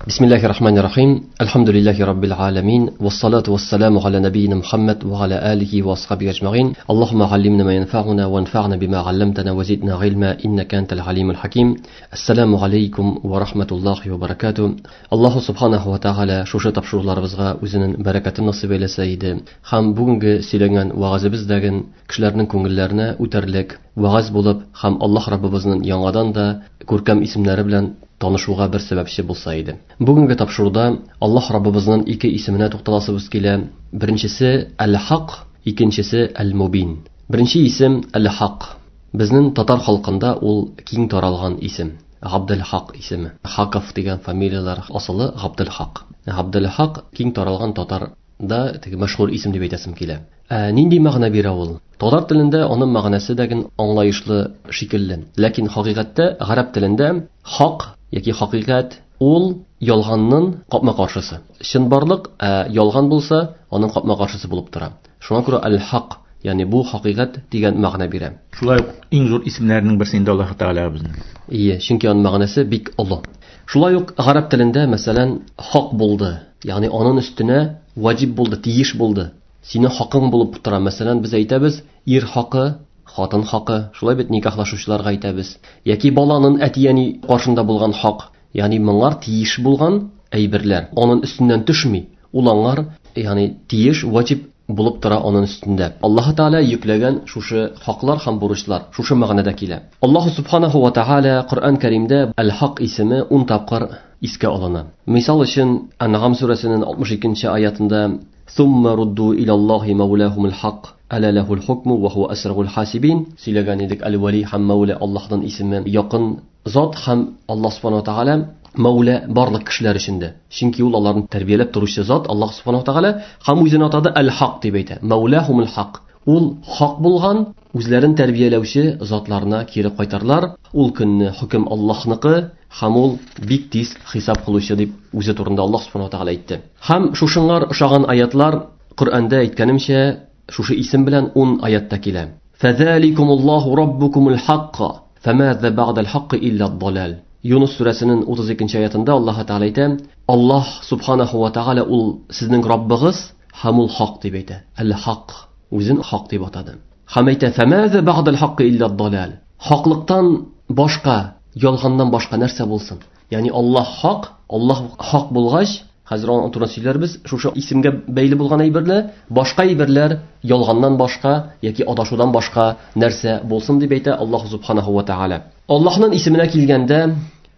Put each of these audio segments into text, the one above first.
Бисмиллахи рахмани рахим. Альхамдулиллахи раббил аламин. Вассалату вассаламу аля набийна Мухаммад ва аля алихи ва асхабихи ажмаин. Аллахумма аллимна ма янфауна ва анфа'на бима алламтана ва зидна илма иннака антал алимул хаким. Ассаламу алейкум ва рахматуллахи ва баракатуh. Аллаху субханаху ва тааля шушы тапшыруларыбызга үзенең бәрәкәтен насыйп әйләсә иде. Һәм бүгенге сөйләгән вәгазебездәге кешеләрнең күңелләренә үтәрлек вәгаз булып, һәм Аллаһ Раббыбызның яңадан да күркәм исемнәре белән танышуга бер сәбәпче булса иде. Бүгенге тапшыруда Аллаһ Раббыбызның ике исеменә тукталасыбыз килә. Беренчесе Әл-Хак, икенчесе Әл-Мубин. Беренче исем Әл-Хак. Безнең татар халкында ул киң таралган исем. Габделхак исеме. Хаков дигән фамилияләр асылы Габделхак. Габделхак киң таралган татарда теге мәшһүр исем дип әйтәсем килә. Нинди мәгънә бирә ул? Татар телендә аның мәгънәсе дәген аңлаешлы шикелле. Ләкин хакыйкатьтә гарәп телендә хак яки хакыйкать ул ялганның капма-каршысы. Чынбарлык, ялган булса, аның капма-каршысы булып тора. Шуңа күрә әл-хак, ягъни бу хакыйкать дигән мәгънә бирә. Шулай ук иң зур исемнәрнең берсе инде Аллаһ Тәгалә безнең. Ие, чөнки аның мәгънәсе бик олы. Шулай ук гарәп телендә, мәсәлән, хак булды, ягъни аның өстенә ваҗиб булды, тиеш булды. Синең хакың булып тора. Мәсәлән, без әйтәбез, ир хакы, хатын хакы, шулай бит никахлашучыларга әйтәбез. Яки баланың әти-әни каршында булган хак, ягъни моңар тиеш булган әйберләр. Аның өстеннән төшми. Ул аңар, ягъни тиеш, ваҗиб булып тора аның өстендә. Аллаһ Тәгалә йөкләгән шушы хаклар һәм бурычлар шушы мәгънәдә килә. Аллаһ субханаху ва тааля Коръән Кәримдә Әл-Хак исеме 10 тапкыр искә алына. Мисал өчен, Әнгам сүрәсенең 62-нче аятында Сумма рудду илаллахи маулахумул хак, аля лахул хукму ва хуа асрагул хасибин. Сөйләгән идек, Әл-Вали һәм Маула Аллаһның исеме, якын зат һәм Аллаһ субханаху ва тааля Маула барлык кешеләр өчен дә. Чөнки ул аларны тәрбияләп торучы зат Аллаһ субханаху ва тааля һәм үзен атады Әл-Хак дип әйтә. Маулахумул хак. Ул хак булган, үзләрен тәрбияләүче затларына кире кайтарлар. Ул көнне хөкем Аллаһныкы һәм ул бик тиз хисап кылучы дип үзе турында Аллаһ субханаху ва тааля әйтте. Һәм шушыңар ошаган аятлар Коръәндә әйткәнемчә, шушы исем белән 10 аятта килә. Фәзаликумуллаһу раббукумул хакка, фамаза бa'дал хакки илля ад-далал. Юнус сүрәсенең 32-нче аятында Аллаһ Тәгалә әйтә, Аллаһ субханаху ва тааля ул сезнең Раббыгыз һәм ул хак дип әйтә. Әл-Хак, үзен хак дип атады. Һәм әйтә, фамаза бa'дал хакки илля ад-далал. Хаклыктан башка, ялганнан башка нәрсә булсын? Ягъни Аллаһ хак, Аллаһ хак булгач, хәзер аны турында сөйләрбез, шушы исемгә бәйле булган әйберләр, башка әйберләр ялганнан башка яки адашудан башка нәрсә булсын дип әйтә Аллаһ субханаху ва тааля. Аллаһның исеменә килгәндә,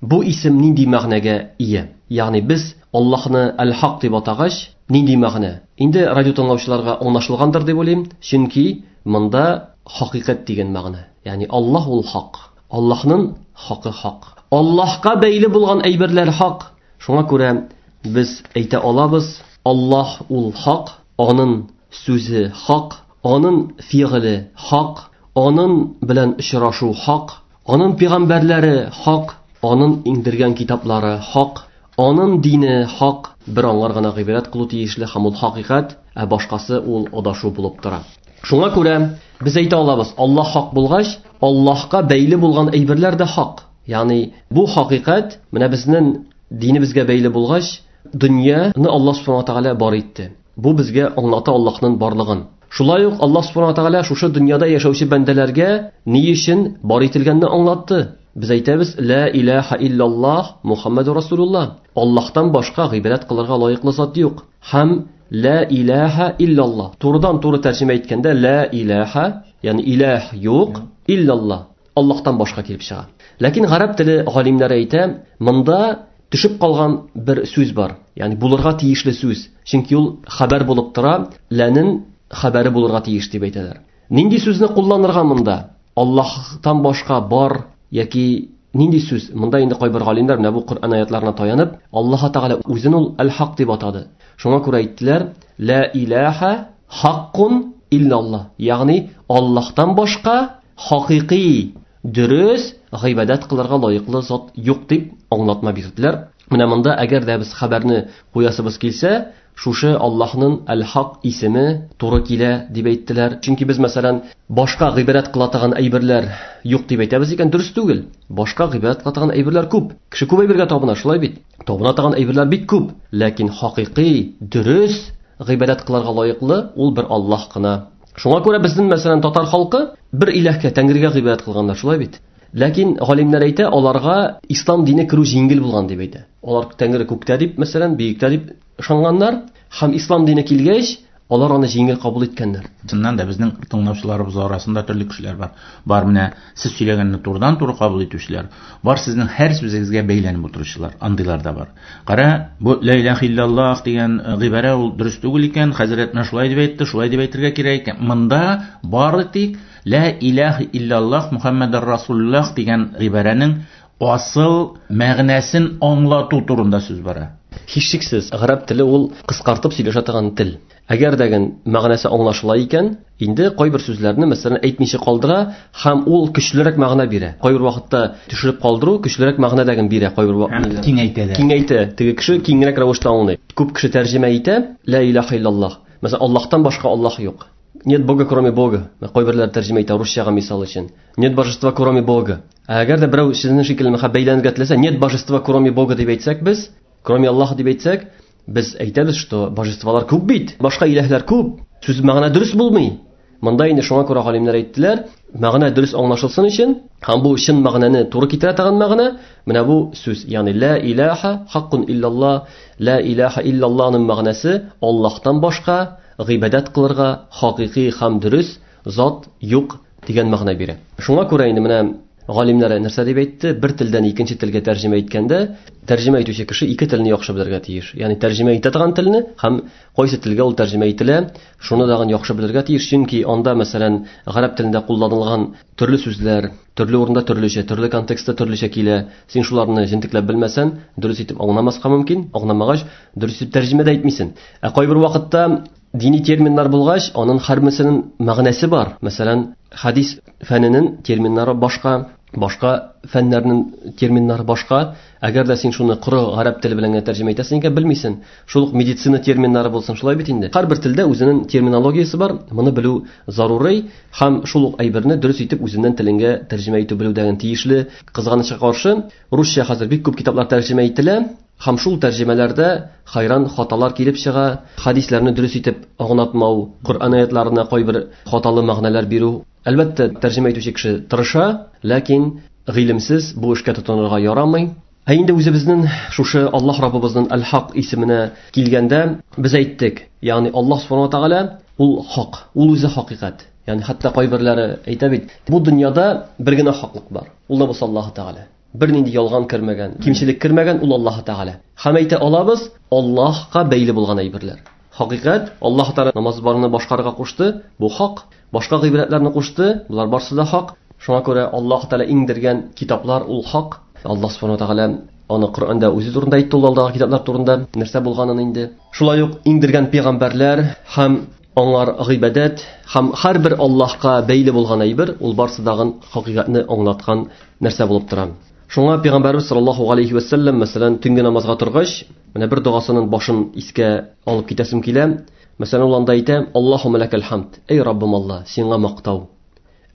бу исем нинди мәгънәгә ия? Ягъни без Аллаһны Әл-Хак дип атагач, нинди мәгънә? Инде радио тыңлаучыларга аңлашылгандыр дип уйлыйм, чөнки монда хакыйкать дигән мәгънә. Ягъни Аллаһ ул хак. Аллаһның хакы хак. Аллаһка бәйле булган әйберләр хак. Шуңа күрә без әйтә алабыз, Аллаһ ул хак, аның сүзе хак, аның фигыле хак, аның белән очрашу хак, аның пәйгамбәрләре хак, аның иңдергән китаплары хак, аның дине хак. Бер аңар гына гыйбадәт кылу тиешле һәм ул хакыйкать, ә башкасы ул адашу булып тора. Шуңа күрә без әйтә алабыз, Аллаһ хак булгач, Аллаһка бәйле булган әйберләр дә хак. Ягъни бу хакыйкать менә безнең динебезгә бәйле булгач, дөньяны Аллаһ субхана ва тааля бар итте. Бу безгә аңлата Аллаһның барлыгын. Шулай ук Аллаһ субхана ва тааля шушы дөньяда яшәүче бәндәләргә ни өчен бар ителгәнне аңлатты. Без әйтәбез, ла илаһа иллаллаһ Мухаммаду расулуллаһ. Аллаһтан башка гыйбадәт кылырга лаеклы зат юк. Һәм ла илаһа иллаллаһ. Турыдан-туры тәрҗемә иткәндә ла илаһа, ягъни илаһ юк, иллаллаһ. Аллаһтан башка килеп чыга. Ләкин гарәп теле галимнәре әйтә, монда төшеп калган бер сүз бар. Ягъни булырга тиешле сүз. Чөнки ул хәбәр булып тора, ләнең хәбәре булырга тиеш дип әйтәләр. Нинди сүзне кулланырга монда? Аллаһтан башка бар яки нинди сүз? Монда инде кайбер галимнәр менә бу Коръән аятларына таянып, Аллаһ Тәгалә үзен ул Әл-Хак дип атады. Шуңа күрә әйттеләр, ла илаһа хаккун иллаллаһ. Ягъни Аллаһтан башка хакыйкый дөрес гыйбадәт кылырга лаеклы зат юк дип аңлатма бирделәр. Менә монда әгәр дә без хәбәрне куясыбыз килсә, шушы Аллаһның Әл-Хак исеме туры килә дип әйттеләр. Чөнки без, мәсәлән, башка гыйбадәт кыла торган әйберләр юк дип әйтәбез икән, дөрес түгел. Башка гыйбадәт кыла торган әйберләр күп. Кеше күп әйбергә табына, шулай бит? Табына торган әйберләр бик күп. Ләкин хакыйкый, дөрес гыйбадәт кылырга лаеклы ул бер Аллаһ кына. Шуңа күрә безнең, мәсәлән, татар халкы бер иләһкә, Тәңрегә гыйбадәт кылганнар, шулай бит? Ләкин галимнәр әйтә, аларга ислам дине керү җиңел булган дип әйтә. Алар Тәңре күктә дип, мәсәлән, биектә дип ышанганнар, һәм ислам дине килгәч, алар аны җиңел кабул иткәннәр. Чыннан да безнең тыңлаучыларыбыз арасында төрле кешеләр бар. Бар менә сез сөйләгәнне турыдан-туры кабул итүчеләр, бар сезнең һәр сүзегезгә бәйләнеп утыручылар, андыйлар да бар. Кара, бу ла илаһа иллаллаһ дигән гыйбарә ул дөрес түгел икән, хәзрәт менә шулай дип әйтте, шулай дип әйтергә кирәк икән. Монда бары тик ла илаһа иллаллаһ Мухаммадур Расулуллаһ дигән гыйбарәнең асыл мәгънәсен аңлату турында сүз бара. Һичшиксез, гарәп теле ул кыскартып сөйләшә торган тел. Әгәр дәген мәгънәсе аңлашыла икән, инде кайбер сүзләрне, мәсәлән, әйтмичә калдыра һәм ул көчлерәк мәгънә бирә. Кайбер вакытта төшереп калдыру көчлерәк мәгънә дәген бирә, кайбер вакытта киңәйтә дә. Киңәйтә, теге кеше киңрәк рәвештә аңлый. Күп кеше тәрҗемә итә, ла илаһа иллаллаһ. Мәсәлән, Аллаһтан башка Аллаһ юк. Нет Бога, кроме Бога. Кайберләр тәрҗемә итә русчага мисал өчен. Нет божества, кроме Бога. Әгәр дә берәү сезнең шикелле бәйләнергә теләсә, нет божества, кроме Бога дип әйтсәк без, кроме Аллаһ дип әйтсәк, без әйтәбез, что божестволар күп бит, башка иләһләр күп. Сүз мәгънә дөрес булмый. Монда инде шуңа күрә галимнәр әйттеләр, мәгънә дөрес аңлашылсын өчен һәм бу чын мәгънәне туры китерә торган мәгънә, менә бу сүз, ягъни ла илаһа хаккун иллаллаһ, ла илаһа иллаллаһның мәгънәсе Аллаһтан башка гыйбадәт кылырга хакыйкый һәм дөрес зат юк дигән мәгънә бирә. Шуңа күрә инде менә галимнәр нәрсә дип әйтте? Бер телдән икенче телгә тәрҗемә иткәндә, тәрҗемә итүче кеше ике телне яхшы белергә тиеш. Ягъни тәрҗемә итә торган телне һәм кайсы телгә ул тәрҗемә ителә, шуны дагын яхшы белергә тиеш. Чөнки анда, мәсәлән, гарәп телендә кулланылган төрле сүзләр, төрле урында төрлечә, төрле контекстта төрлечә килә. Син шуларны җентекләп белмәсән, дөрес итеп аңламаска мөмкин. Аңламагач, дөрес итеп тәрҗемә дә итмисең. Ә кайбер вакытта дини терминнар булгач, аның һәрберсенең мәгънәсе бар. Мәсәлән, хадис фәненең терминнары башка, башка фәннәрнең терминнары башка. Әгәр дә син шуны коры гарәп теле белән генә тәрҗемә итәсең икән, белмисең. Шул ук медицина терминнары булсын, шулай бит инде. Һәрбер телдә үзенең терминологиясе бар, моны белү зарури һәм шул ук әйберне дөрес итеп үзеннән телеңгә тәрҗемә итү белү дәген тиешле. Кызганычка каршы, русча хәзер бик күп китаплар тәрҗемә ителә. Һәм шул тәрҗемәләрдә хайран хаталар килеп чыга, хадисләрне дөрес итеп аңлатмау, Коръән аятларына кайбер хаталы мәгънәләр бирү. Әлбәттә, тәрҗемә итүче кеше тырыша, ләкин гыйлемсез бу эшкә тотынырга ярамый. Ә инде үзебезнең шушы Аллаһ Раббыбызның Әл-Хак исеменә килгәндә, без әйттек, ягъни Аллаһ Субхану ва Тааля ул хак, ул үзе хакыйкать. Ягъни хәтта кайберләре әйтә бит, бу дөньяда бер генә хаклык бар. Ул да булса Аллаһ Тааля. Бер нинди ялган кермәгән, кимчелек кермәгән ул Аллаһ Тааля. Һәм әйтә алабыз, Аллаһка бәйле булган әйберләр. Хакыйкать, Аллаһ Тааля намаз барыны башкарырга кушты, бу хак. Башка гыйбадәтләрне кушты, булар барсы да хак. Шуңа күрә Аллаһ Тааля иңдергән китаплар ул хак. Аллаһ Субхану ва Тааля аны Коръәндә үзе турында әйтте, ул алдагы китаплар турында нәрсә булганын инде. Шулай ук иңдергән пәйгамбәрләр һәм аңар гыйбадәт һәм һәрбер Аллаһка бәйле булган әйбер, ул барсы дагын хакыйкатьне аңлаткан нәрсә булып тора. Шуңа пәйгамбәрбез саллаллаһу алейхи ва сәлләм, мәсәлән, төнге намазга торгач, менә бер догасының башын искә алып китәсем килә. Мәсәлән, ул анда әйтә: Аллаһумма лакал хамд, эй Раббым Аллаһ, сиңа мактау.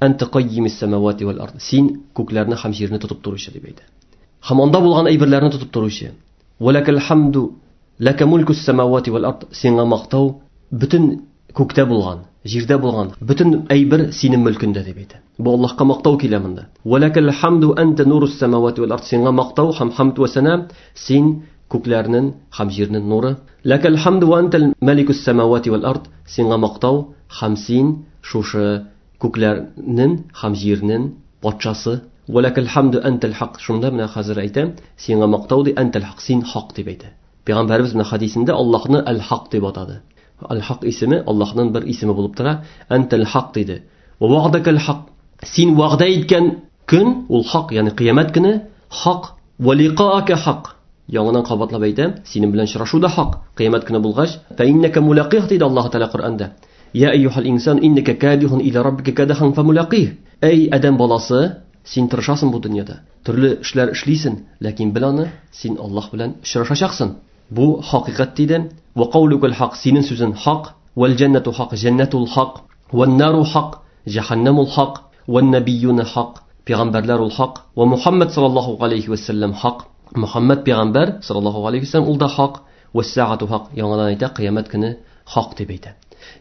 Анта каййимис самавати вал ард. Син күкләрне һәм җирне тотып торучы дип әйтә. Һәм анда булган әйберләрне тотып торучы. Ва лакал хамду лака мулкус самавати вал ард. Сиңа мактау бөтен күктә булган, җирдә булган бөтен әйбер синең мөлкендә дип әйтә. Бу Аллаһка мактау килә монда. Ва лакал хамду анта нурус самавати вал ард. Сиңа мактау һәм хамд ва сана, син күкләрнең һәм җирнең нуры. Лакал хамду ва антал маликус самавати вал ард. Сиңа мактау һәм син шушы күкләрнең һәм җирнең патшасы. Ва лакал хамду антал хак. Шунда менә хәзер әйтәм, сиңа мактау ди, антал хак, син хак дип әйтә. Пәйгамбәребез менә хадисендә Аллаһны әл-Хак дип атады. Әл-Хак исеме Аллаһның бер исеме булып тора. Антал хак диде. Ва ва'дакал хак. Син вәгъдә иткән көн ул хак, ягъни кыямәт көне хак. Ва лиқаака хак. Яңадан кабатлап әйтәм, синең белән очрашу да хак. Кыямәт көне булгач, фа иннака мулақих диде Аллаһ Тааля Коръәндә. Я әйюхал инсан иннака кадихун иля раббика кадахан фамулақих. Эй адәм баласы, син тырышасың бу дөньяда. Төрле эшләр эшлисең, ләкин бел аны, син Аллаһ белән очрашачаксың. Бу хакыйкать диде. Ва каулукал хак, синең сүзең хак. Вал җаннату хак, җәннәтул хак. Ван нару хак, җәһәннәмул хак. Ван набиюна хак, пәйгамбәрләр ул хак. Ва Мухаммад саллаллаһу алейхи ва саллям хак. Мухаммад пәйгамбәр саллаллаһу алейхи ва саллям ул да хак. Ва саату хак, яңадан әйтә, кыямәт көне хак дип әйтә.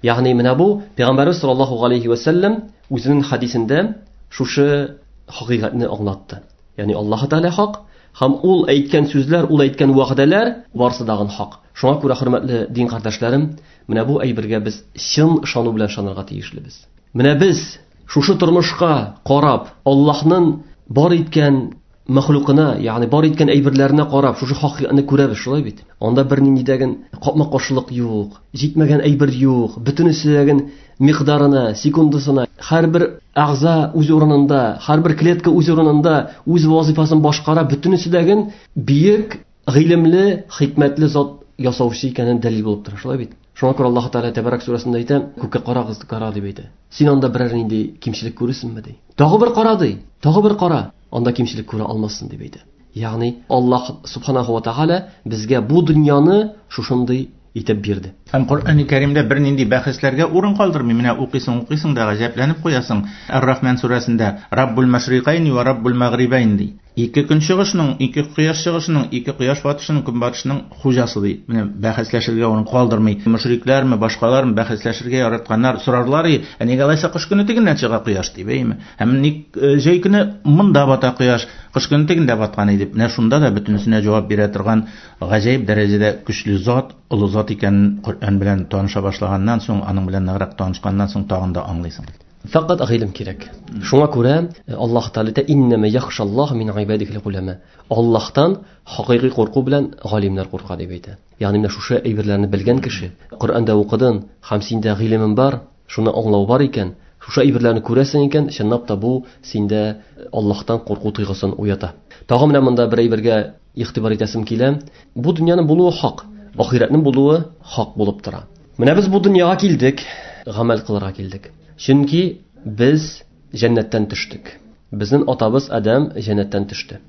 Ягъни менә бу пәйгамбәрбез саллаллаһу алейхи ва саллям үзенең хадисендә шушы хакыйкатьне аңлатты. Ягъни Аллаһ Тәгалә хак, һәм ул әйткән сүзләр, ул әйткән вәгъдәләр барысы дагын хак. Шуңа күрә, хөрмәтле дин кардәшләрем, менә бу әйбергә без чын ышану белән ышанырга тиешлебез. Менә без шушы тормышка карап, Аллаһның бар иткән мәхлукына, ягъни бар иткән әйберләренә карап, шушы хакыйкатьне күрәбез, шулай бит? Анда бернинди дәген капма-каршылык юк, җитмәгән әйбер юк, бөтенесе дәген микъдарына, секундасына, һәрбер әгъза үз урынында, һәрбер клетка үз урынында, үз вазифасын башкара, бөтенесе дәген бөек, гыйлемле, хикмәтле зат ясаучы икәнен дәлил булып тора, шулай бит? Шуңа күрә Аллаһ Тәгалә Тәбәрәк сүрәсендә әйтә, күккә карагыз, кара дип әйтә. Син анда берәр нинди кимчелек күрерсеңме ди. Тагы бер кара ди, тагы бер кара, анда кимчелек күрә алмассың дип әйтә. Ягъни Аллаһ субханаху ва тааля безгә бу дөньяны шушындый итеп бирде. Һәм Коръәни Кәримдә бернинди бәхәсләргә урын калдырмый. Менә укыйсың, укыйсың да гаҗәпләнеп куясың. Ар-Рахман сүрәсендә Раббул машрикайни ва Раббул магрибайн ди. Ике көн чыгышының, ике кояш чыгышының, ике кояш батышының, көнбатышының хуҗасы ди. Менә бәхәсләшергә урын калдырмый. Мөшрикләрме, башкалармы бәхәсләшергә яратканнар сорарлар, ә нигә алайса кыш көне тегеннән чыга кояш дип, әйеме? Һәм ник җәй көне монда бата кояш, кыш көне тегендә баткан иде. Менә шунда да бөтенесенә җавап бирә торган гаҗәеп дәрәҗәдә көчле зат, олы зат икәнен Коръән белән таныша башлаганнан соң, аның белән ныграк танышканнан соң тагын да аңлыйсың. Фақат гыйлем кирәк. Шуңа күрә Аллаһ Тәгалә әйтә, иннәмә яхшаллаһ мин гыйбадихил улама. Аллаһтан хакыйкый курку белән галимнәр курка дип әйтә. Ягъни менә шушы әйберләрне белгән кеше, Коръәндә укыдың һәм синдә гыйлемең бар, шуны аңлау бар икән, шушы әйберләрне күрәсең икән, чынлап та бу синдә Аллаһтан курку тойгысын уята. Тагы менә монда бер әйбергә игътибар итәсем килә. Бу дөньяның булуы хак, ахирәтнең булуы хак булып тора. Менә без бу дөньяга килдек, гамәл кылырга килдек. Чөнки без җәннәттән төштек. Безнең атабыз Адәм җәннәттән төште.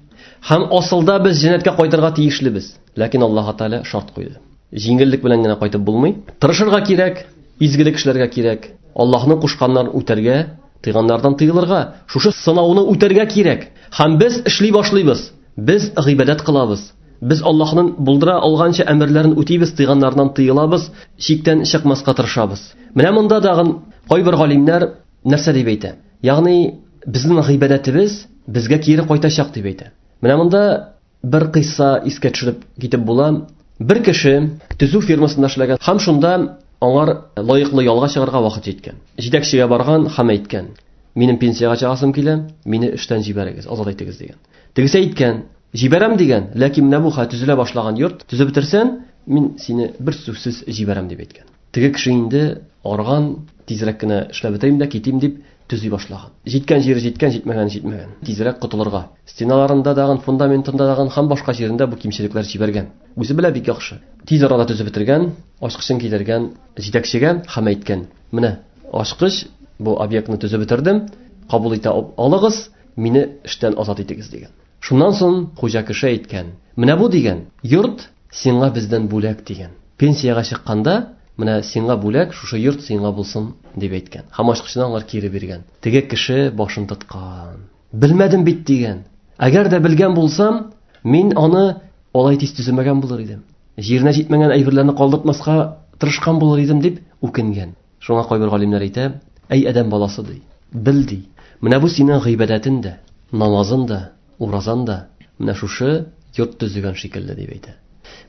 Һәм асылда без җәннәткә кайтырга тиешлебез. Ләкин Аллаһ Тәгалә шарт куйды. Җиңеллек белән генә кайтып булмый. Тырышырга кирәк, изгелек эшләргә кирәк. Аллаһның кушканнарын үтәргә, тыйганнардан тыелырга, шушы сынауны үтәргә кирәк. Һәм без эшли башлыйбыз. Без гыйбадәт кылабыз. Без Аллаһның булдыра алганча әмерләрен үтибез, тыйганнардан тыелабыз, чиктән чыкмаска тырышабыз. Менә монда тагын кайбер галимнәр нәрсә дип әйтә? Ягъни безнең гыйбадәтебез безгә кире кайтачак дип әйтә. Менә монда бер кыйсса искә төшереп китеп була. Бер кеше төзү фирмасында эшләгән һәм шунда аңар лаеклы ялга чыгарга вакыт җиткән. Җитәкчегә барган һәм әйткән: "Минем пенсиягә чыгасым килә, мине эштән җибәрегез, азат итегез" дигән. Тегесе әйткән: "Җибәрәм" дигән, ләкин менә бу төзелә башлаган йорт төзеп бетерсән, мин сине бер сүзсез җибәрәм дип әйткән. Теге кеше инде арган, тизрәк кенә эшләп бетерим дә китим дип төзи башлаган. Җиткән җире җиткән, җитмәгән җитмәгән. Тизрәк котылырга. Стеналарында дагын, фундаментында дагын һәм башка җирендә бу кимчелекләр җибәргән. Үзе белә бик яхшы. Тиз арада төзеп бетергән, ачкычын кидергән җитәкчегә һәм әйткән: "Менә ачкыч, бу объектны төзеп бетердем, кабул итә алыгыз, мине эштән азат итегез" дигән. Шуннан соң хуҗа кеше әйткән: "Менә бу дигән йорт сиңа бездән бүләк" дигән. Пенсиягә чыкканда, менә сиңа бүләк, шушы йорт сиңа булсын дип әйткән. Һәм ачкычны аңар кире биргән. Теге кеше башын тоткан. Белмәдем бит дигән. Әгәр дә белгән булсам, мин аны алай тиз төземәгән булыр идем. Җиренә җитмәгән әйберләрне калдыртмаска тырышкан булыр идем дип үкенгән. Шуңа кайбер галимнәр әйтә: "Әй адәм баласы ди, бел ди. Менә бу синең гыйбадәтең дә, намазың да, уразаң да менә шушы йорт төзегән шикелле" дип әйтә.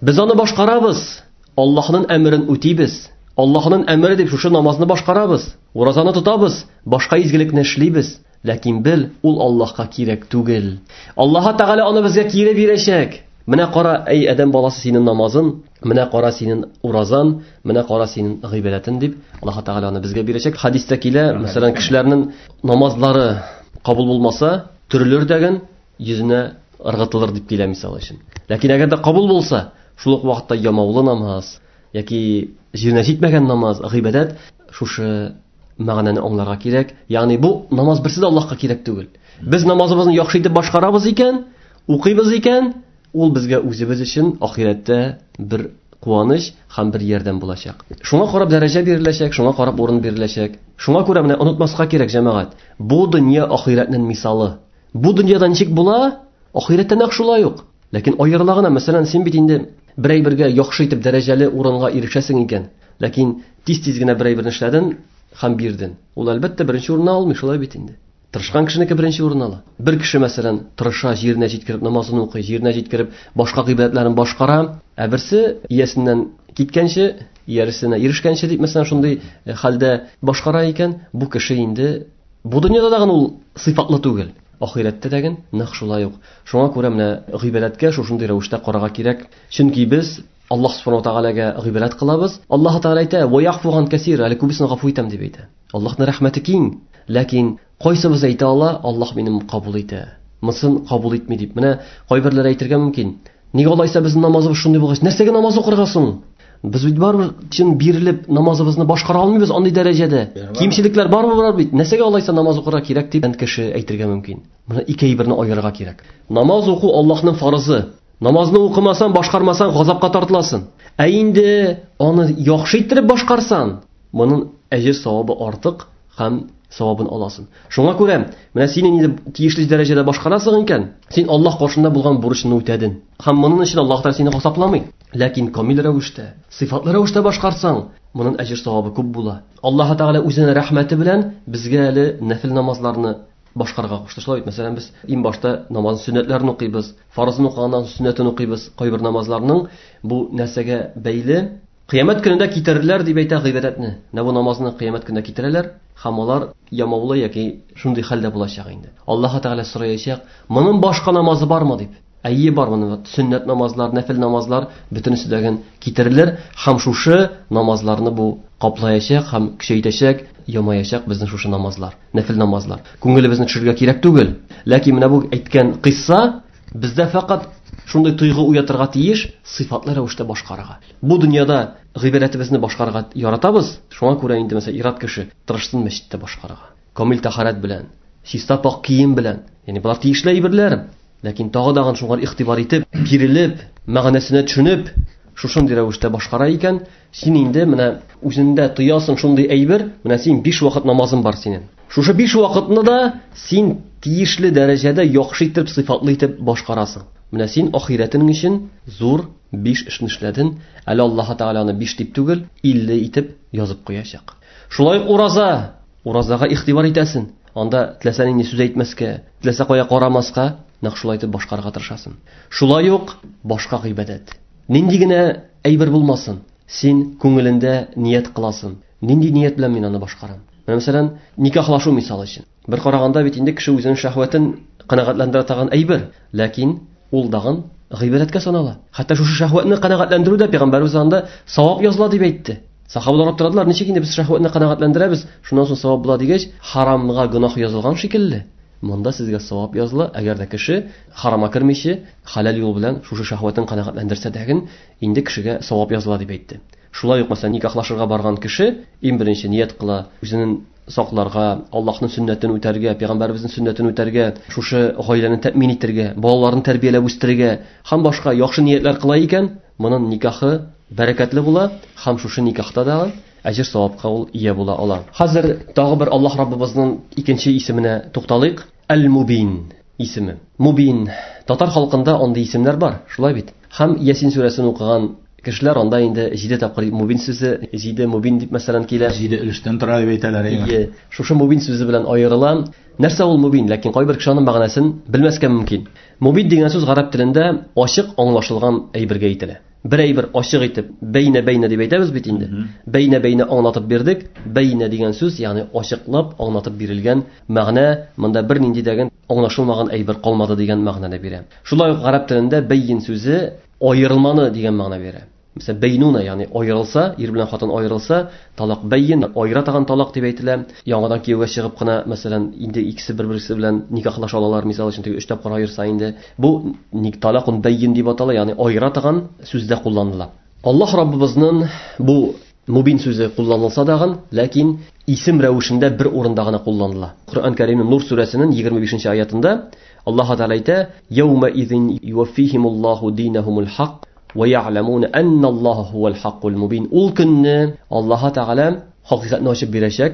Без аны башкарабыз, Аллаһның әмерен үтибез. Аллаһның әмере дип шушы намазны башкарабыз, уразаны тотабыз, башка изгелекне эшлибез. Ләкин бел, ул Аллаһка кирәк түгел. Аллаһ Тәгалә аны безгә кире бирәчәк. Менә кара, әй адәм баласы, синең намазын, менә кара синең уразан, менә кара синең гыйбадәтен дип Аллаһ Тәгалә аны безгә бирәчәк. Хадистә килә, мәсәлән, кешеләрнең намазлары кабул булмаса, төрелер дәген йөзенә ыргытылыр дип килә мисал өчен. Ләкин әгәр дә кабул булса, шул ук вакытта ямаулы намаз яки җиренә җитмәгән намаз, гыйбадәт, шушы мәгънәне аңларга кирәк. Ягъни бу намаз берсе дә Аллаһка кирәк түгел. Без намазыбызны яхшы итеп башкарабыз икән, укыйбыз икән, Ул безгә үзебез өчен ахирәттә бер куаныч һәм бер ярдәм булачак. Шуңа карап дәрәҗә биреләчәк, шуңа карап урын биреләчәк. Шуңа күрә менә онытмаска кирәк, җәмәгать. Бу дөнья ахирәтнең мисалы. Бу дөньяда ничек була? Ахирәттә нәкъ шулай ук. Ләкин аерыла гына, мәсәлән, син бит инде бер әйбергә яхшы итеп дәрәҗәле урынга ирешәсең икән, ләкин тиз-тиз генә бер әйберне эшләдең һәм бирдең. Ул әлбәттә беренче урынны алмый, шулай бит инде. Тырышкан кешенеке беренче урын ала. Бер кеше, мәсәлән, тырыша, җиренә җиткереп намазын укый, җиренә җиткереп башка гыйбадәтләрен башкара, ә берсе иясеннән киткәнче, ияресенә ирешкәнче дип, мәсәлән, шундый хәлдә башкара икән, бу кеше инде бу дөньяда да ул сыйфатлы түгел. Ахирәттә дә нәкъ шулай ук. Шуңа күрә менә гыйбадәткә шушындый рәвештә карарга кирәк. Чөнки без Аллаһ субхану ва таалагә гыйбадәт кылабыз. Аллаһ Тааля әйтә: "Ва яғфу ган кәсир", әле күбесен гафу итәм дип әйтә. Аллаһның рәхмәте киң, ләкин кайсыбыз әйтә ала, Аллаһ минем кабул итә, монысын кабул итми дип. Менә кайберләре әйтергә мөмкин: "Нигә алайса безнең намазыбыз шундый булгач, нәрсәгә намаз укырга соң? Без бит барыбер чын бирелеп намазыбызны башкара алмыйбыз андый дәрәҗәдә. Кимчелекләр барыбер бар бит. Нәрсәгә алайса намаз укырга кирәк?" дип кеше әйтергә мөмкин. Моны ике әйберне аерырга кирәк. Намаз уку Аллаһның фарызы. Намазны укымасаң, башкармасаң, газапка тартыласың. Ә инде аны яхшы иттереп башкарсаң, моның әҗер савабы артык һәм савабын аласың. Шуңа күрә, менә син инде тиешле дәрәҗәдә башкарасың икән, син Аллаһ каршында булган бурычны үтәдең. Һәм моның өчен Аллаһ Тәгалә сине газапламый. Ләкин камил рәвештә, сыйфатлы рәвештә башкарсаң, моның әҗер савабы күп була. Аллаһ Тәгалә үзенең рәхмәте белән безгә әле нәфил намазларны башкарырга кушты. Шулай бит, мәсәлән, без иң башта намаз сөннәтләрен укыйбыз, фарызын укыганнан соң сөннәтен укыйбыз. Кайбер намазларның бу нәрсәгә бәйле. Кыямәт көнендә китерерләр дип әйтә гыйбадәтне. Менә бу намазны кыямәт көнендә китерәләр һәм алар ямаулы яки шундый хәлдә булачак инде. Аллаһ Тәгалә сораячак: "Моның башка намазы бармы?" дип. Әйе, бар моның сөннәт намазлар, нәфил намазлар бөтенесе дә китерелер һәм шушы намазларны бу каплаячак һәм көчәйтәчәк, ямаячак безнең шушы намазлар, нәфил намазлар. Күңелебезне төшерергә кирәк түгел. Ләкин менә бу әйткән кыйсса бездә фәкать шундый тойгы уятырга тиеш, сыйфатлы рәвештә башкарырга. Бу дөньяда гыйбадәтебезне башкарырга яратабыз, шуңа күрә инде мәсәлән ир-ат кеше тырышсын мәчеттә башкарырга. Камил тәһарәт белән, чиста пак кием белән. Ягъни болар тиешле әйберләр. Ләкин тагы да шуңа игътибар итеп, бирелеп, мәгънәсенә төшенеп, шушындый рәвештә башкара икән, син инде менә үзеңдә тоясың шундый әйбер, менә син 5 вакыт намазың бар синең. Шушы 5 вакытны да син тиешле дәрәҗәдә яхшы итеп, сыйфатлы итеп башкарасың. Менә син ахирәтең өчен зур 5 эшне эшләдең. Әле Аллаһ Тәгалә аны 5 дип түгел, 50 итеп язып куячак. Шулай ук ураза, уразага игътибар итәсең. Анда теләсә нинди сүз әйтмәскә, теләсә кая карамаска, нәкъ шулай итеп башкарырга тырышасың. Шулай ук башка гыйбадәт. Нинди генә әйбер булмасын, син күңелендә ният кыласың. Нинди ният белән мин аны башкарам? Менә мәсәлән, никахлашу мисал өчен. Бер караганда бит инде кеше үзенең шәһвәтен канәгатьләндерә торган әйбер, ләкин ул дагын гыйбадәткә санала. Хәтта шушы шәһвәтне канәгатьләндерү дә пәйгамбәребез анда савап языла дип әйтте. Сахабалар аптырадылар, ничек инде без шәһвәтне канәгатьләндерәбез, шуннан соң савап була дигәч, харамга гөнаһ язылган шикелле. Монда сезгә савап языла, әгәр дә кеше харама кермичә, халал юл белән шушы шәһвәтен канәгатьләндерсә дәген, инде кешегә савап языла дип әйтте. Шулай ук, мәсәлән, никахлашырга барган кеше иң беренче ният кыла, үзенең сакларга, Аллаһның сөннәтен үтәргә, пәйгамбәребезнең сөннәтен үтәргә, шушы гаиләне тәэмин итәргә, балаларын тәрбияләп үстерергә һәм башка яхшы ниятләр кыла икән, моның никахы бәрәкәтле була һәм шушы никахта да әҗер савапка ул ия була ала. Хәзер тагы бер Аллаһ Раббыбызның икенче исеменә тукталыйк. Әл-Мубин исеме. Мубин. Татар халкында андый исемнәр бар, шулай бит? Һәм Ясин сүрәсен укыган кешеләр анда инде 7 тапкыр Мубин сүзе, 7 Мубин дип мәсәлән килә. 7 өлештән тора дип әйтәләр. Ие, шушы Мубин сүзе белән аерыла. Нәрсә ул Мубин? Ләкин кайбер кеше аның мәгънәсен белмәскә мөмкин. Мубин дигән сүз гарәп телендә ачык аңлашылган әйбергә әйтелә. Бер әйбер ачык итеп, бәйнә-бәйнә дип әйтәбез бит инде. Бәйнә-бәйнә аңлатып бирдек. Бәйнә дигән сүз, ягъни ачыклап аңлатып бирелгән мәгънә, монда бер нинди дә аңлашылмаган әйбер калмады дигән мәгънәне бирә. Шулай ук гарәп телендә бәйин сүзе аерылманы дигән мәгънә бирә. Мәсәлән, бәйнуна, ягъни аерылса, ир белән хатын аерылса, талак бәйин, аера торган талак дип әйтелә. Яңадан кияүгә чыгып кына, мәсәлән, инде икесе бер-берсе белән никахлаша алалар, мисал өчен, теге 3 тапкыр аерса инде. Бу талакун бәйин дип атала, ягъни аера торган сүздә кулланыла. Аллаһ Раббыбызның бу Мубин сүзе кулланылса дагын, ләкин исем рәвешендә бер урында гына кулланыла. Коръән Кәримнең Нур сүрәсенең 25 аятында Аллаһ Тәгалә әйтә: "Яума изин юваффихимуллаһу динахумул хак ва я'ламуна анналлаһа хувал хаккул мубин". Ул көнне Аллаһ Тәгалә хакыйкатьне ачып бирәчәк.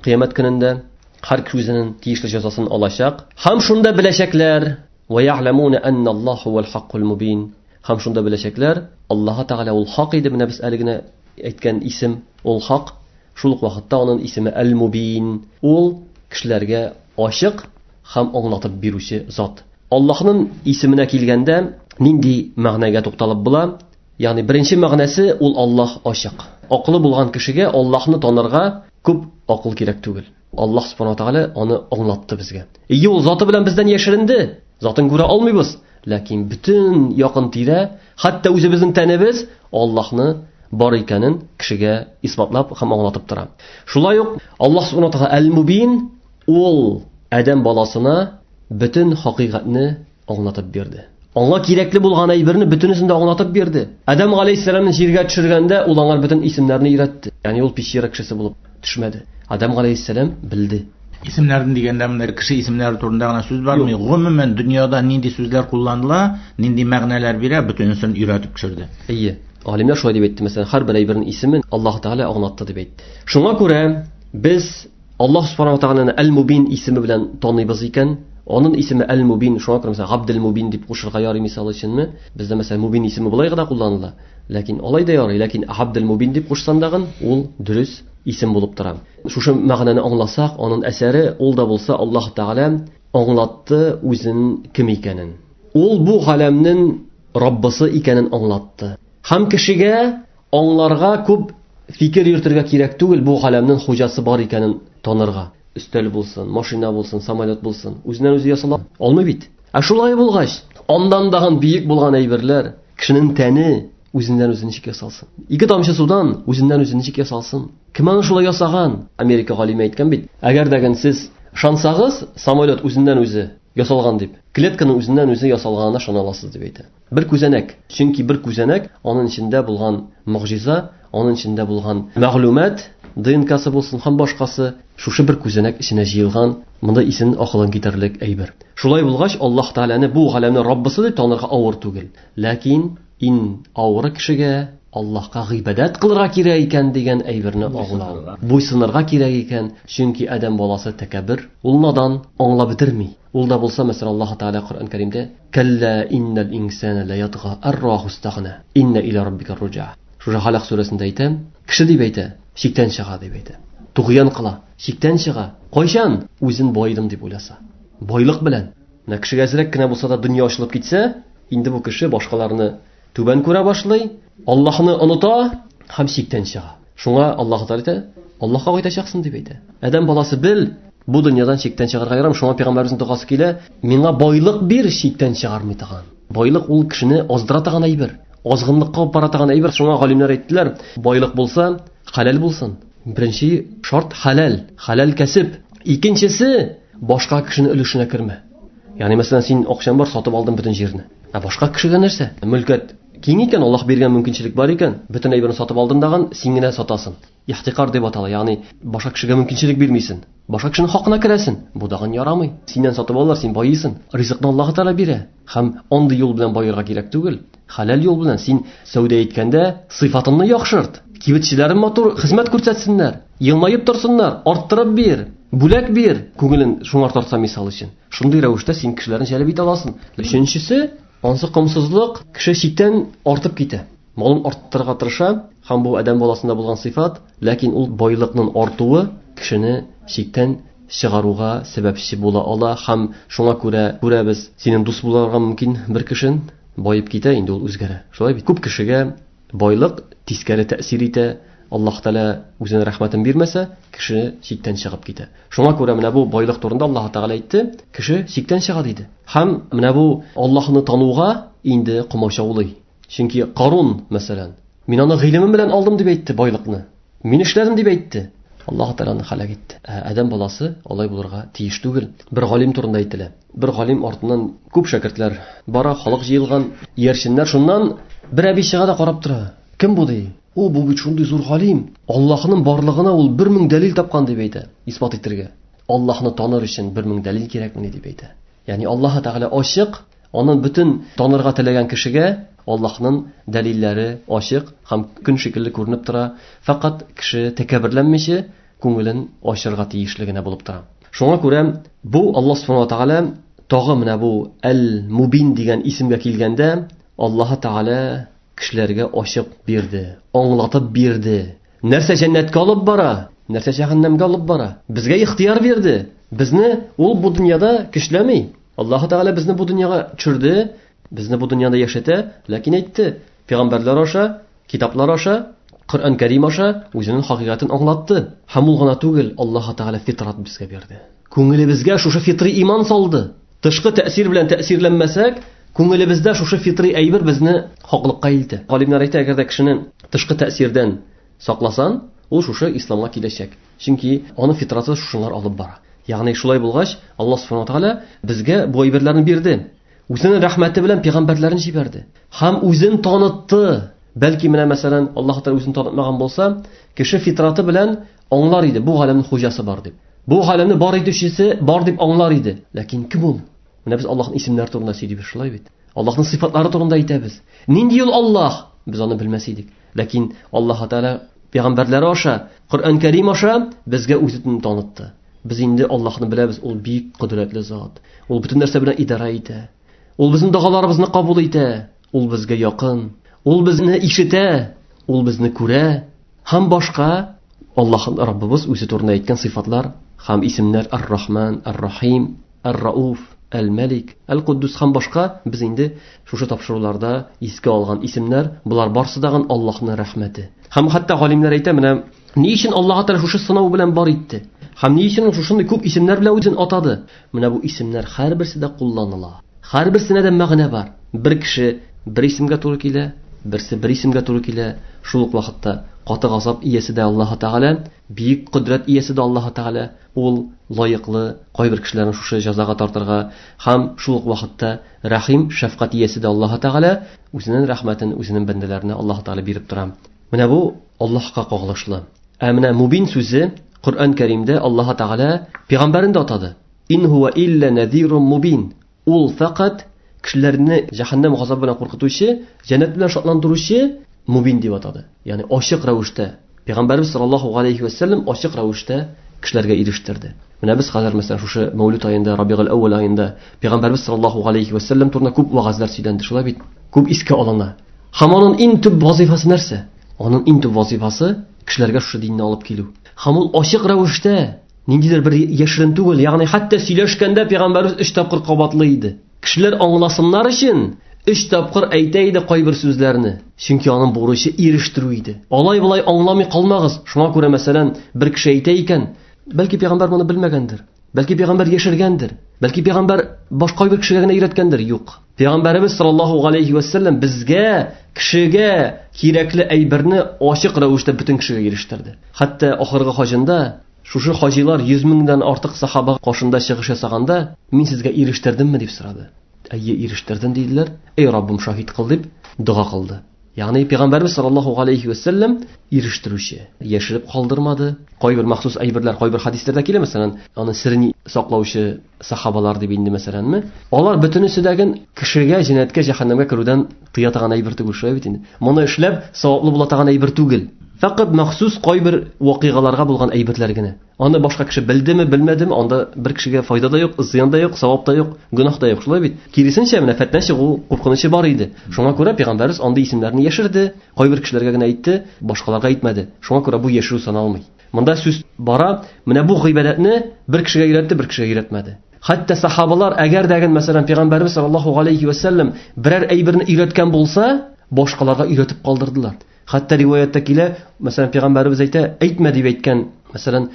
Кыямәт көнендә һәр кеше үзенең тиешле җәзасын алачак. Һәм шунда беләчәкләр: "Ва я'ламуна анналлаһа хувал хаккул мубин". Һәм шунда беләчәкләр, Аллаһ Тәгалә ул хак иде, менә без әле генә әйткән исем ул хак. Шул ук вакытта аның исеме Әл-Мубин. Ул кешеләргә ачык һәм аңлатып бирүче зат. Аллаһның исеменә килгәндә нинди мәгънәгә тукталып була? Ягъни беренче мәгънәсе ул Аллаһ ачык. Акылы булган кешегә Аллаһны танырга күп акыл кирәк түгел. Аллаһ субхана тәгалә аны аңлатты безгә. Ие, ул заты белән бездән яшеренде. Затын күрә алмыйбыз. Ләкин бөтен якын тирә, хәтта үзебезнең тәнебез Аллаһны бар икәнен кешегә исбатлап һәм аңлатып тора. Шулай ук Аллаһ субхана тәгалә Әл-Мубин, ул адәм баласына бөтен хакыйкатьне аңлатып бирде. Аңа кирәкле булган әйберне бөтенесен дә аңлатып бирде. Адәм галәйһиссәламны җиргә төшергәндә ул аңа бөтен исемнәрне өйрәтте. Ягъни ул пещера кешесе булып төшмәде. Адәм галәйһиссәлам белде. Исемнәрен дигәндә менә кеше исемнәре турында гына сүз бармый. Гомумән дөньяда нинди сүзләр кулланыла, нинди мәгънәләр бирә, бөтенесен өйрәтеп төшерде. Әйе. Галимнәр шулай дип әйтте. Мәсәлән, һәрбер әйбернең исемен Аллаһ Тәгалә аңлатты дип әйтте. Шуңа күрә без Аллаһ субхана ва тәгаләне Әл-Мубин исеме белән таныйбыз икән, аның исеме Әл-Мубин, шуңа күрә мәсәлән Габдел-Мубин дип кушырга ярый мисал өченме? Бездә мәсәлән Мубин исеме болай гына кулланыла. Ләкин алай да ярый, ләкин Габдел-Мубин дип кушсаң дагын ул дөрес исем булып тора. Шушы мәгънәне аңласак, аның әсәре ул да булса Аллаһ Тәгалә аңлатты үзен кем икәнен. Ул бу галәмнең Раббысы икәнен аңлатты. Һәм кешегә аңларга күп фикер йөртергә кирәк түгел, бу галәмнең хуҗасы бар икәнен танырга. Өстәл булсын, машина булсын, самолет булсын, үзеннән үзе ясала алмый бит. Ә шулай булгач, андан дагын бөек булган әйберләр, кешенең тәне үзеннән үзе ничек ясалсын? Ике тамчы судан үзеннән үзе ничек ясалсын? Кем аны шулай ясаган? Америка галиме әйткән бит. Әгәр дә сез ышансагыз, самолет үзеннән үзе ясалган дип, клетканың үзеннән үзе ясалганына ышана аласыз дип әйтә. Бер күзәнәк. Чөнки бер күзәнәк аның эчендә булган могҗиза, аның эчендә булган мәгълүмат, ДНКсы булсын һәм башкасы, шушы бер күзәнәк эченә җыелган, монда исен акылын китерлек әйбер. Шулай булгач, Аллаһ Тәгаләне бу галәмнең Раббысы дип танырга авыр түгел. Ләкин иң авыры кешегә Аллаһка гыйбадәт кылырга кирәк икән дигән әйберне аңлау. Буйсынырга кирәк икән, чөнки адәм баласы тәкәббер, ул надан, аңлап бетерми. Ул да булса, мәсәлән, Аллаһ Тәгалә Коръән Кәримдә: "Кәллә иннал инсана ла ятга арраху истагна, инна иля раббика руҗа". Шушы Халак сүрәсендә әйтә, кеше дип әйтә, чиктән чыга дип әйтә. Тугъян кыла, чиктән чыга. Кайчан үзен байыдым дип уйласа? Байлык белән. Менә кешегә әзрәк кенә булса да дөнья ачылып китсә, инде бу кеше башкаларны түбән күрә башлый, Аллаһны оныта һәм чиктән чыга. Шуңа Аллаһ Тәгалә әйтә, Аллаһка кайтачаксың дип әйтә. Адәм баласы бел, бу дөньядан чиктән чыгарга ярамый. Шуңа пәйгамбәребезнең догасы килә, миңа байлык бир, чиктән чыгармый торган. Байлык ул кешене аздыра торган әйбер, азгынлыкка алып бара торган әйбер. Шуңа галимнәр әйттеләр, байлык булса, хәләл булсын. Беренче шарт хәләл, хәләл кәсеп. Икенчесе, башка кешенең өлешенә кермә. Ягъни, мәсәлән, син акчаң бар, сатып алдың бөтен җирне. Ә башка кешегә нәрсә? Мөлкәт киң икән, Аллаһ биргән мөмкинчелек бар икән, бөтен әйберне сатып алдың дагын, син генә сатасың. Ихтикар дип атала, ягъни башка кешегә мөмкинчелек бирмисең. Башка кешенең хакына керәсең. Бу дагын ярамый. Синнән сатып алалар, син байыйсың. Ризыкны Аллаһ Тәгалә бирә. Һәм андый юл белән баерга кирәк түгел. Хәләл юл белән син сәүдә иткәндә сыйфатыңны яхшырт. Кибетчеләрең матур хезмәт күрсәтсеннәр, елмаеп торсыннар, арттырып бир, бүләк бир, күңелен шуңар тартса мисал өчен. Шундый рәвештә син кешеләрне җәлеп итә аласың. Өченчесе, ансы комсызлык, кеше чиктән артып китә. Малын арттырырга тырыша, һәм бу адәм баласында булган сыйфат, ләкин ул байлыкның артуы кешене чиктән чыгаруга сәбәпче була ала, һәм шуңа күрә күрәбез, синең дус булырга мөмкин бер кешен, байып китә, инде ул үзгәрә. Шулай бит. Күп кешегә байлык тискәре тәэсир итә, Аллаһ Тәгалә үзенең рәхмәтен бирмәсә, кеше чиктән чыгып китә. Шуңа күрә менә бу байлык турында Аллаһ Тәгалә әйтте, кеше чиктән чыга диде. Һәм менә бу Аллаһны тануга инде комачаулый. Чөнки Карун, мәсәлән, мин аны гыйлемем белән алдым дип әйтте байлыкны. Мин эшләдем дип әйтте. Аллаһ Тәгалә аны һәлак итте. Ә адәм баласы алай булырга тиеш түгел. Бер галим турында әйтелә. Бер галим артыннан күп шәкертләр бара, халык җыелган, иярченнәр. Шуннан бер әби чыга да карап тора. Кем бу ди? О, бу бит шундый зур галим. Аллаһның барлыгына ул 1000 дәлил тапкан дип әйтә, исбат итәргә. Аллаһны таныр өчен 1000 дәлил кирәкмени дип әйтә. Ягъни Аллаһ Тәгалә ачык, аны бөтен танырга теләгән кешегә Аллаһның дәлилләре ачык һәм көн шикелле күренеп тора. Фәкать кеше тәкәбберләнмичә күңелен ачырга тиешле генә булып тора. Шуңа күрә бу Аллаһ Субхану ва Тәгалә тагы менә бу Әл-Мубин дигән исемгә килгәндә Аллаһ Тәгалә кешеләргә ачык бирде, аңлатып бирде. Нәрсә җәннәткә алып бара, нәрсә җәһәннәмгә алып бара. Безгә ихтияр бирде. Безне ул бу дөньяда көчләми. Аллаһ Тәгалә безне бу дөньяга төшерде, безне бу дөньяда яшәтә, ләкин әйтте, пәйгамбәрләр аша, китаплар аша, Коръән Кәрим аша үзенең хакыйкатен аңлатты. Һәм ул гына түгел, Аллаһ Тәгалә фитрат безгә бирде. Күңелебезгә шушы фитри иман салды. Тышкы тәэсир белән тәэсирләнмәсәк, күңелебездә шушы фитри әйбер безне хаклыкка илтә. Галимнәр әйтә, әгәр дә кешене тышкы тәэсирдән сакласан, ул шушы исламга киләчәк. Чөнки аны фитраты шушылар алып бара. Ягъни шулай булгач, Аллаһ Субхану ва Тәгалә безгә бу әйберләрне бирде. Үзенең рәхмәте белән пәйгамбәрләрен җибәрде. Һәм үзен танытты. Бәлки менә мәсәлән, Аллаһ Тәгалә үзен танытмаган булса, кеше фитраты белән аңлар иде, бу галәмнең хуҗасы бар дип. Бу галәмне бар итүчесе бар дип аңлар иде. Ләкин кем ул? Менә без Аллаһның исемнәре турында сөйлибез, шулай бит. Аллаһның сыйфатлары турында әйтәбез. Нинди ул Аллаһ? Без аны белмәс идек. Ләкин Аллаһ Тәгалә пәйгамбәрләре аша, Коръән Кәрим аша безгә үзен танытты. Без инде Аллаһны беләбез, ул бик кодрәтле зат. Ул бөтен нәрсә белән идарә итә. Ул безнең догаларыбызны кабул итә. Ул безгә якын. Ул безне ишетә, ул безне күрә. Һәм башка Аллаһ Раббыбыз үзе турында әйткән сыйфатлар һәм исемнәр Ар-Рахман, Ар-Рахим, Ар-Рауф, Әл-Мәлик, Әл-Куддус һәм башка без инде шушы тапшыруларда искә алган исемнәр, болар барсы дагын Аллаһның рәхмәте. Һәм хәтта галимнәр әйтә, менә ни өчен Аллаһ Тәгалә шушы сынау белән бар итте? Һәм ни өчен ул шушындый күп исемнәр белән үзен атады? Менә бу исемнәр һәрберсе дә кулланыла. Һәрберсенә дә мәгънә бар. Бер кеше бер исемгә туры килә, берсе бер исемгә туры килә. Шул ук вакытта каты газап иясе дә Аллаһ Тәгалә, бөек кодрәт иясе дә Аллаһ Тәгалә. Ул лаеклы кайбер кешеләрне шушы җәзага тартырга һәм шул ук вакытта рәхим, шәфкать иясе дә Аллаһ Тәгалә, үзенең рәхмәтен үзенең бәндәләренә Аллаһ Тәгалә биреп тора. Менә бу Аллаһка кагылышлы. Ә менә Мубин сүзе Коръән Кәримдә Аллаһ Тәгалә пәйгамбәрен дә атады. Ин хуа илля назирун мубин. Ул фәкать кешеләрне җәһәннәм газабы белән куркытучы, җәннәт белән шатландыручы мубин дип атады. Ягъни ачык рәвештә Пәйгамбәрбез саллаллаһу алейхи ва саллям ачык рәвештә кешеләргә ирештерде. Менә без хәзер мәсәлән шушы Мәүлид аенда, Рабигул әүвәл аенда Пәйгамбәрбез саллаллаһу алейхи ва саллям турында күп вәгазьләр сөйләнде, шулай бит? Күп искә алына. Һәм аның иң төп вазифасы нәрсә? Аның иң төп вазифасы кешеләргә шушы динне алып килү. Һәм ул ачык рәвештә ниндидер бер яшерен түгел, ягъни хәтта сөйләшкәндә Пәйгамбәрбез 3 тапкыр кабатлый иде. Кешеләр аңласыннар өчен 3 тапкыр әйтә иде кайбер сүзләрне. Чөнки аның бурычы ирештерү иде. Алай-болай аңламый калмагыз. Шуңа күрә, мәсәлән, бер кеше әйтә икән, бәлки пәйгамбәр моны белмәгәндер, бәлки пәйгамбәр яшергәндер, бәлки пәйгамбәр башка бер кешегә генә өйрәткәндер. Юк. Пәйгамбәребез саллаллаһу алейхи ва саллям безгә, кешегә кирәкле әйберне ачык рәвештә бөтен кешегә ирештерде. Хәтта ахыргы хаҗында шушы хаҗилар 100 меңдән артык сахаба каршында чыгыш ясаганда, мин сезгә ирештердемме дип сорады. Әйе, ирештердем диделәр. Эй Раббым, шаһит кыл дип дога кылды. Ягъни Пәйгамбәрбез саллаллаһу алейхи ва саллям ирештерүче, яшереп калдырмады. Кайбер махсус әйберләр, кайбер хадисләрдә килә, мәсәлән, аны серен саклаучы сахабалар дип инде мәсәләнме? Алар бөтенесе дә кешегә җәннәткә, җәһәннәмгә керүдән тыя торган әйбер түгел, шулай бит инде. Моны эшләп саваплы була торган әйбер түгел. Фәкать махсус кайбер вакыйгаларга булган әйберләр генә. Аны башка кеше белдеме, белмәдеме, анда бер кешегә файда да юк, зыян да юк, савап та юк, гөнаһ да юк, шулай бит. Киресенчә, менә фетнә чыгу куркынычы бар иде. Шуңа күрә пәйгамбәрбез андый исемнәрне яшерде, кайбер кешеләргә генә әйтте, башкаларга әйтмәде. Шуңа күрә бу яшерү саналмый. Монда сүз бара, менә бу гыйбадәтне бер кешегә өйрәтте, бер кешегә өйрәтмәде. Хәтта сахабалар, әгәр дә мәсәлән, пәйгамбәрбез саллаллаһу алейхи ва саллям берәр әйберне өйрәткән булса, башкаларга өйрәтеп калдырдылар. Хәтта риваятта килә, мәсәлән, пәйгамбәребез әйтә, әйтмә дип әйткән, мәсәлән,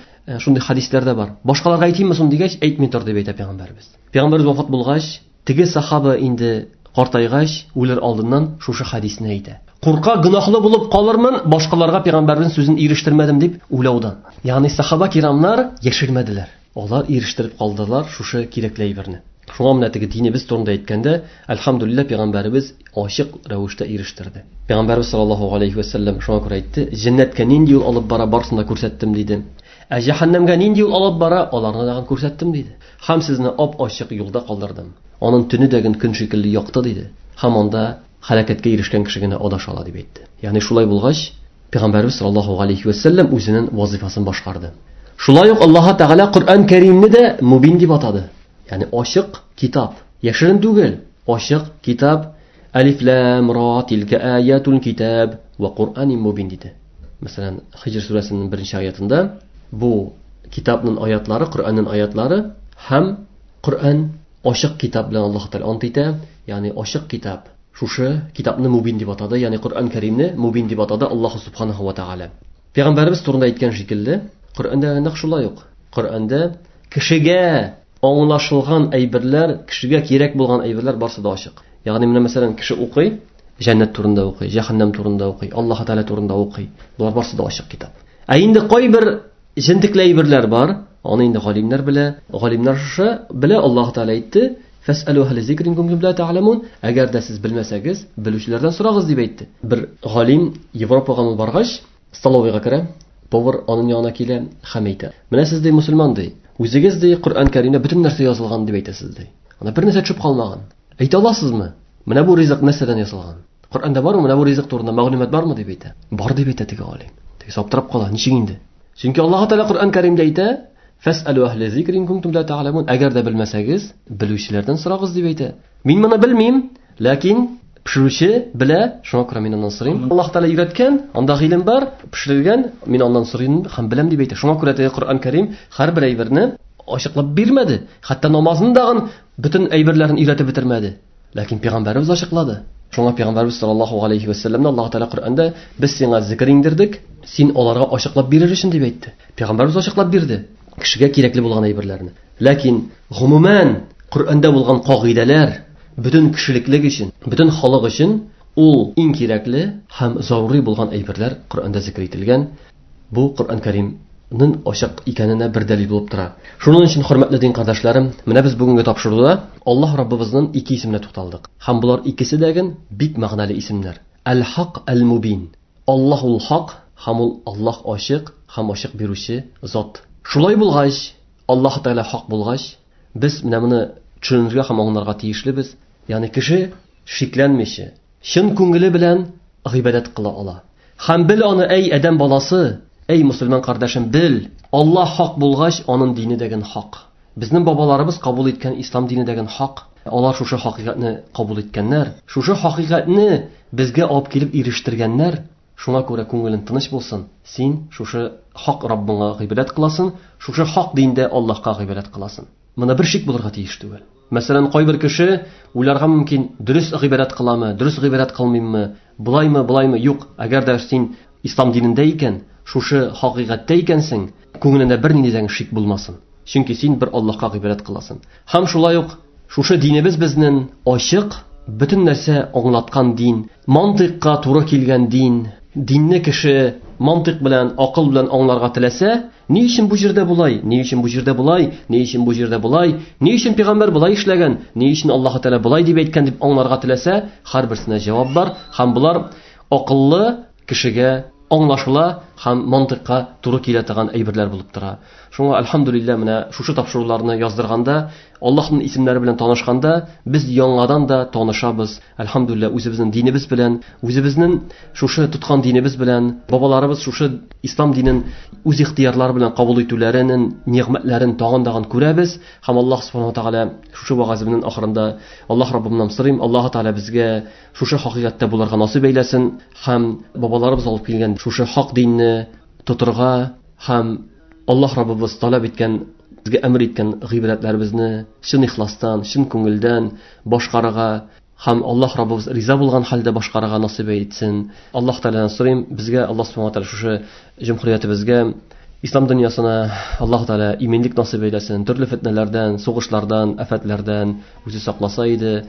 шундый хадисләр дә бар. Башкаларга әйтимме соң дигәч, әйтми тор дип әйтә пәйгамбәребез. Пәйгамбәребез вафат булгач, теге сахаба инде картайгач, үлер алдыннан шушы хадисне әйтә. Курка гөнаһлы булып калырмын, башкаларга пәйгамбәрнең сүзен ирештермәдем дип уйлаудан. Ягъни сахаба кирамнар яшермәделәр. Алар ирештереп калдылар шушы кирәкле әйберне. Шуңа менә теге динебез турында әйткәндә, әлхәмдүлилләһ, пәйгамбәребез ачык рәвештә ирештерде. Пәйгамбәребез саллаллаһу алейхи ва саллям шуңа күрә әйтте, җәннәткә нинди юл алып бара барысын да күрсәттем диде. Ә җәһәннәмгә нинди юл алып бара, аларны тагын күрсәттем диде. Һәм сезне ап-ачык юлда калдырдым. Аның төне дәген көн шикелле якты диде. Һәм анда һәлакәткә ирешкән кеше генә адаша ала дип әйтте. Ягъни шулай булгач, Пәйгамбәрбез саллаллаһу алейхи ва сәлләм үзенең вазифасын башкарды. Шулай ук Аллаһ Тәгалә Коръән Кәримне дә мубин дип атады. Ягъни ачык китап, яшерен түгел, ачык китап. Алиф лам ра тилка аятул китаб ва Куръанин мубин диде. Мәсәлән, Хиҗр сүрәсенең 1-нче аятында бу китапның аятлары, Коръәннең аятлары һәм Коръән ачык китап белән Аллаһ Тәгалә ант итә, ягъни ачык китап. Шушы китапны мубин дип атады, ягъни Коръән Кәримне мубин дип атады Аллаһ Субханаһу ва Тәгалә. Пәйгамбәребез турында әйткән шикелле, Коръәндә нәкъ шулай ук. Коръәндә кешегә аңлашылган әйберләр, кешегә кирәк булган әйберләр барсы да ачык. Ягъни менә мәсәлән, кеше укый, җәннәт турында укый, җәһәннәм турында укый, Аллаһ Тәгалә турында укый. Болар барсы да ачык китап. Ә инде кайбер җентекле әйберләр бар, аны инде галимнәр белә. Галимнәр шушы белә, Аллаһ Тәгалә әйтте: "Фәсәлү әһле зикр ин кунтум ла та'ламун". Әгәр дә сез белмәсәгез, белүчеләрдән сорагыз дип әйтте. Бер галим Европага баргач, столовыйга керә, повар аның янына килә һәм әйтә: "Менә сез ди мусульман ди, үзегез ди Коръән Кәримдә бөтен нәрсә язылган дип әйтәсез ди. Анда бер нәрсә төшеп калмаган. Әйтә аласызмы? Менә бу ризык нәрсәдән ясалган? Коръәндә бармы менә бу ризык турында мәгълүмат бармы дип әйтә. Бар дип әйтә теге галим. Теге аптырап кала, ничек инде? Чөнки Аллаһ Тәгалә Коръән Кәримдә әйтә: "Фәсәлү әһле зикр ин кунтум ла та'ламун". Әгәр дә белмәсәгез, белүчеләрдән сорагыз дип әйтә. Мин моны белмим, ләкин пешерүче белә, шуңа күрә мин аннан сорыйм. Аллаһ Тәгалә өйрәткән, анда гыйлем бар, пешерелгән, мин аннан сорыйм һәм беләм дип әйтә. Шуңа күрә теге Коръән Кәрим һәрбер әйберне ачыклап бирмәде. Хәтта намазны дагын бөтен әйберләрен өйрәтеп бетермәде. Ләкин пәйгамбәребез ачыклады. Шуңа пәйгамбәребез саллаллаһу алейхи ва сәлләмне Аллаһ Тәгалә Коръәндә без сиңа зикр иңдердек, син аларга ачыклап бирер өчен дип әйтте. Пәйгамбәребез ачыклап бирде кешегә кирәкле булган әйберләрне. Ләкин гомумән Коръәндә булган кагыйдәләр бөтен кешелеклек өчен, бөтен халык өчен ул иң кирәкле һәм зарури булган әйберләр Коръәндә зикр ителгән. Бу Коръән Кәримнең ачык икәненә бер дәлил булып тора. Шуның өчен, хөрмәтле дин кардәшләрем, менә без бүгенге тапшыруда Аллаһ Раббыбызның ике исеменә тукталдык. Һәм болар икесе дә бик мәгънәле исемнәр. Әл-Хак, Әл-Мубин. Аллаһ ул хак, һәм ул Аллаһ ачык, һәм ачык бирүче зат. Шулай булгач, Аллаһ Тәгалә хак булгач, без менә моны төшенергә һәм аңларга тиешлебез. Ягъни кеше шикләнмичә, чын күңеле белән гыйбадәт кыла ала. Һәм бел аны, әй адәм баласы, әй мусульман кардәшем, бел, Аллаһ хак булгач, аның дине дәген хак. Безнең бабаларыбыз кабул иткән ислам дине дәген хак. Алар шушы хакыйкатьне кабул иткәннәр, шушы хакыйкатьне безгә алып килеп ирештергәннәр. Шуңа күрә күңелең тыныч булсын. Син шушы хак Раббыңа гыйбадәт кыласың, шушы хак диндә Аллаһка гыйбадәт кыласың. Моны бер шик булырга тиеш түгел. Мәсәлән, кайбер кеше уйларга мөмкин, дөрес гыйбадәт кыламы, дөрес гыйбадәт кылмыйммы, булаймы, булаймы? Юк. Әгәр дә син ислам динендә икән, шушы хакыйкатьтә икәнсең, күңелеңдә бернинди дә шик булмасын. Чөнки син бер Аллаһка гыйбадәт кыласың. Һәм шулай ук шушы динебез безнең ачык, бөтен нәрсә аңлаткан дин, мантыйкка туры килгән дин. Динне кеше мантыйк белән, акыл белән аңларга теләсә, ни өчен бу җирдә булай, ни өчен бу җирдә булай, ни өчен бу җирдә булай, ни өчен пәйгамбәр булай эшләгән, ни өчен Аллаһ Тәгалә булай дип әйткән дип аңларга теләсә, һәрберсенә җавап бар, һәм болар акыллы кешегә аңлашыла һәм мантыйкка туры килә торган әйберләр булып тора. Шуңа альхамдулилла менә шушы тапшыруларны яздырганда, Аллаһның исемнәре белән танышканда, без яңадан да танышабыз. Альхамдулилла үзебезнең динебез белән, үзебезнең шушы тоткан динебез белән, бабаларыбыз шушы ислам динен үз ихтыярлары белән кабул итүләренең нигъмәтләрен тагын-тагын күрәбез. Һәм Аллаһ субханаһу ва тааля шушы вагазымның ахырында Аллаһ Раббымнан сорыйм, Аллаһ Тааля безгә шушы хакыйкатьтә булырга насыйп әйләсен һәм бабаларыбыз алып килгән шушы хак динне тотырга һәм Аллаһ Раббыбыз таләп иткән, безгә әмер иткән гыйбадәтләребезне чын ихластан, чын күңелдән башкарырга һәм Аллаһ Раббыбыз риза булган хәлдә башкарырга насыйп итсен. Аллаһ Тәгаләдән сорыйм, безгә Аллаһ Субхану ва Тәгалә шушы җөмһүриятебезгә, ислам дөньясына Аллаһ Тәгалә иминлек насыйп әйләсен, төрле фетнәләрдән, сугышлардан, афәтләрдән үзе сакласа иде.